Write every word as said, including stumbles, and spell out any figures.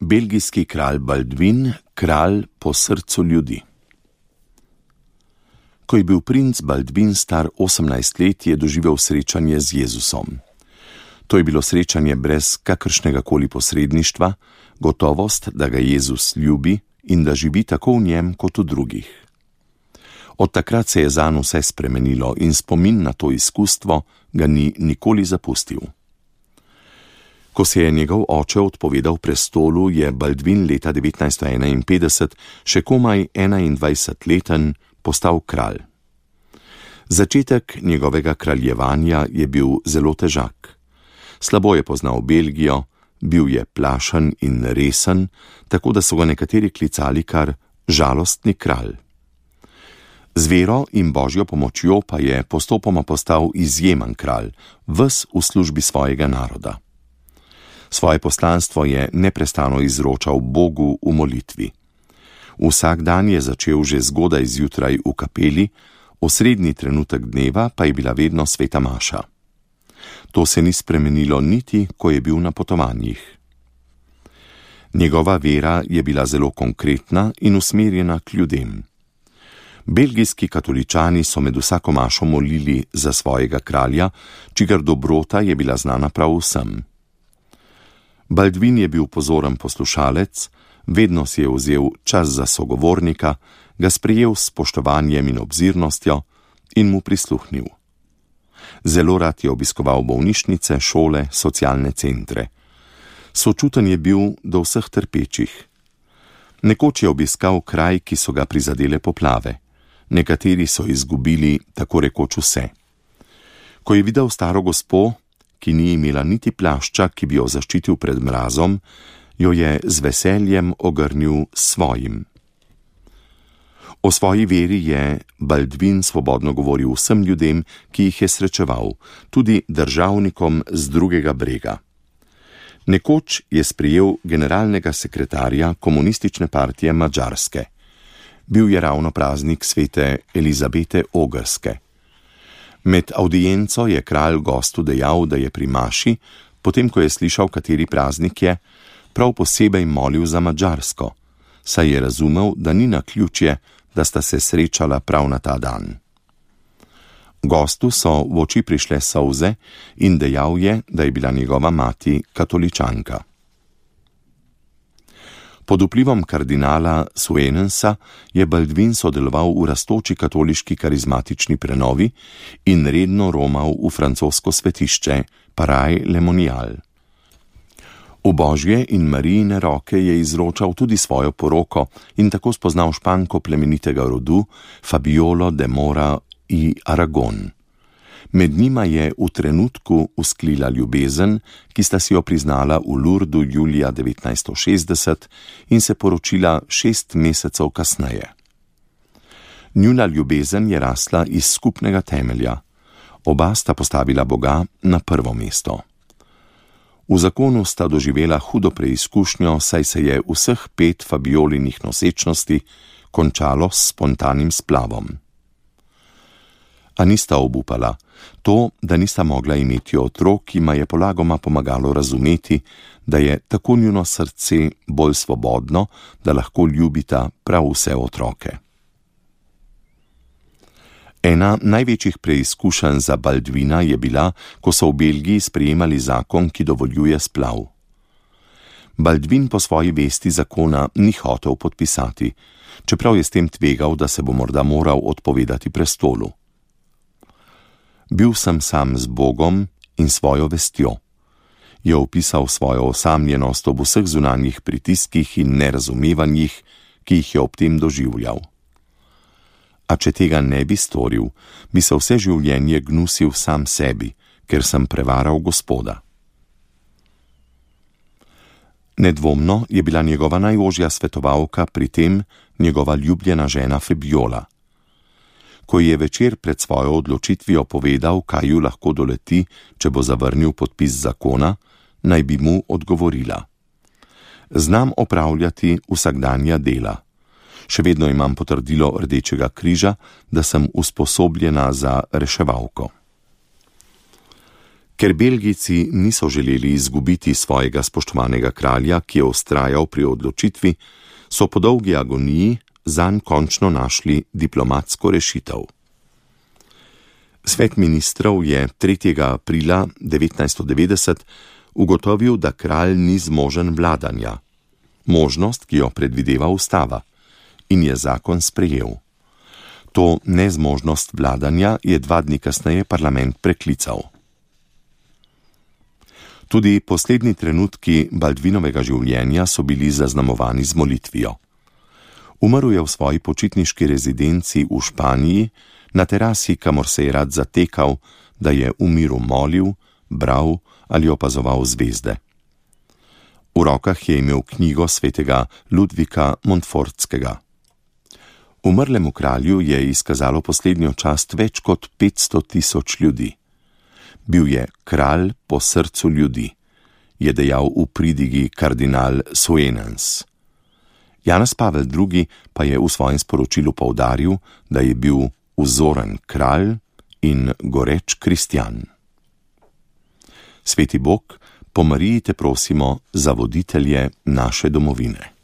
Belgijski kralj Baldvin, kralj po srcu ljudi. Ko je bil princ Baldvin star osemnajst let, je doživel srečanje z Jezusom. To je bilo srečanje brez kakršnega koli posredništva, gotovost, da ga Jezus ljubi in da živi tako v njem kot v drugih. Od takrat se je zanj vse spremenilo in spomin na to izkustvo ga ni nikoli zapustil. Ko se je njegov oče odpovedal prestolu, je Baldvin leta devetnajststo enainpetdeset, še komaj enaindvajsetleten, postal kralj. Začetek njegovega kraljevanja je bil zelo težak. Slabo je poznal Belgijo, bil je plašen in resen, tako da so ga nekateri klicali kar žalostni kralj. Z vero in božjo pomočjo pa je postopoma postal izjemen kralj, ves v službi svojega naroda. Svoje poslanstvo je neprestano izročal Bogu v molitvi. Vsak dan je začel že zgodaj zjutraj v kapeli, osrednji trenutek dneva pa je bila vedno sveta maša. To se ni spremenilo niti, ko je bil na potovanjih. Njegova vera je bila zelo konkretna in usmerjena k ljudem. Belgijski katoličani so med vsako mašo molili za svojega kralja, čigar dobrota je bila znana prav vsem. Baldvin je bil pozoren poslušalec, vedno si je vzel čas za sogovornika, ga sprejel s spoštovanjem in obzirnostjo in mu prisluhnil. Zelo rad je obiskoval bolnišnice, šole, socialne centre. Sočuten je bil do vseh trpečih. Nekoč je obiskal kraj, ki so ga prizadele poplave. Nekateri so izgubili tako rekoč vse. Ko je videl staro gospo, ki ni imela niti plašča, ki bi jo zaščitil pred mrazom, jo je z veseljem ogrnil svojim. O svoji veri je Baldvin svobodno govoril vsem ljudem, ki jih je srečeval, tudi državnikom z drugega brega. Nekoč je sprejel generalnega sekretarja komunistične partije Madžarske. Bil je ravno praznik svete Elizabete Ogrske. Med avdienco je kralj gostu dejal, da je pri maši, potem ko je slišal, kateri praznik je, prav posebej molil za Madžarsko, saj je razumel, da ni naključje, da sta se srečala prav na ta dan. Gostu so v oči prišle solze in dejal je, da je bila njegova mati katoličanka. Pod vplivom kardinala Suenensa je Baldvin sodeloval v rastoči katoliški karizmatični prenovi in redno romal v francosko svetišče Paray-le-Monial. V Božje in Marijine roke je izročal tudi svojo poroko in tako spoznal Španko plemenitega rodu Fabiolo de Mora i Aragon. Med njima je v trenutku usklila ljubezen, ki sta si jo priznala v Lurdu julija devetnajststo šestdeset in se poročila šest mesecev kasneje. Njuna ljubezen je rasla iz skupnega temelja. Oba sta postavila Boga na prvo mesto. V zakonu sta doživela hudo preizkušnjo, saj se je vseh pet Fabiolinih nosečnosti končalo s spontanim splavom. A nista obupala. To, da nista mogla imeti otrok, jima je polagoma pomagalo razumeti, da je tako njuno srce bolj svobodno, da lahko ljubita prav vse otroke. Ena največjih preizkušenj za Baldvina je bila, ko so v Belgiji sprejemali zakon, ki dovoljuje splav. Baldvin po svoji vesti zakona ni hotel podpisati, čeprav je s tem tvegal, da se bo morda moral odpovedati prestolu. Bil sem sam z Bogom in svojo vestjo, je opisal svojo osamljenost ob vseh zunanjih pritiskih in nerazumevanjih, ki jih je ob tem doživljal. A če tega ne bi storil, bi se vse življenje gnusil sam sebi, ker sem prevaral Gospoda. Nedvomno je bila njegova najožja svetovalka pri tem njegova ljubljena žena Fabiola. Ko je večer pred svojo odločitvijo povedal, kaj ju lahko doleti, če bo zavrnil podpis zakona, naj bi mu odgovorila: Znam opravljati vsakdanja dela. Še vedno imam potrdilo Rdečega križa, da sem usposobljena za reševalko. Ker Belgijci niso želeli izgubiti svojega spoštovanega kralja, ki je vztrajal pri odločitvi, so po dolgi agoniji zanj končno našli diplomatsko rešitev. Svet ministrov je tretjega aprila devetnajststo devetdeset ugotovil, da kralj ni zmožen vladanja, možnost, ki jo predvideva ustava, in je zakon sprejel. To nezmožnost vladanja je dva dni kasneje parlament preklical. Tudi poslednji trenutki Baldvinovega življenja so bili zaznamovani z molitvijo. Umrl je v svoji počitniški rezidenci v Španiji, na terasi, kamor se je rad zatekal, da je v miru molil, bral ali opazoval zvezde. V rokah je imel knjigo svetega Ludvika Montfortskega. Umrlemu kralju je izkazalo poslednjo čast več kot petsto tisoč ljudi. Bil je kralj po srcu ljudi, je dejal v pridigi kardinal Suenens. Janez Pavel drugi pa je v svojem sporočilu poudaril, da je bil vzoren kralj in goreč kristjan. Sveti Bog, po Mariji te prosimo za voditelje naše domovine.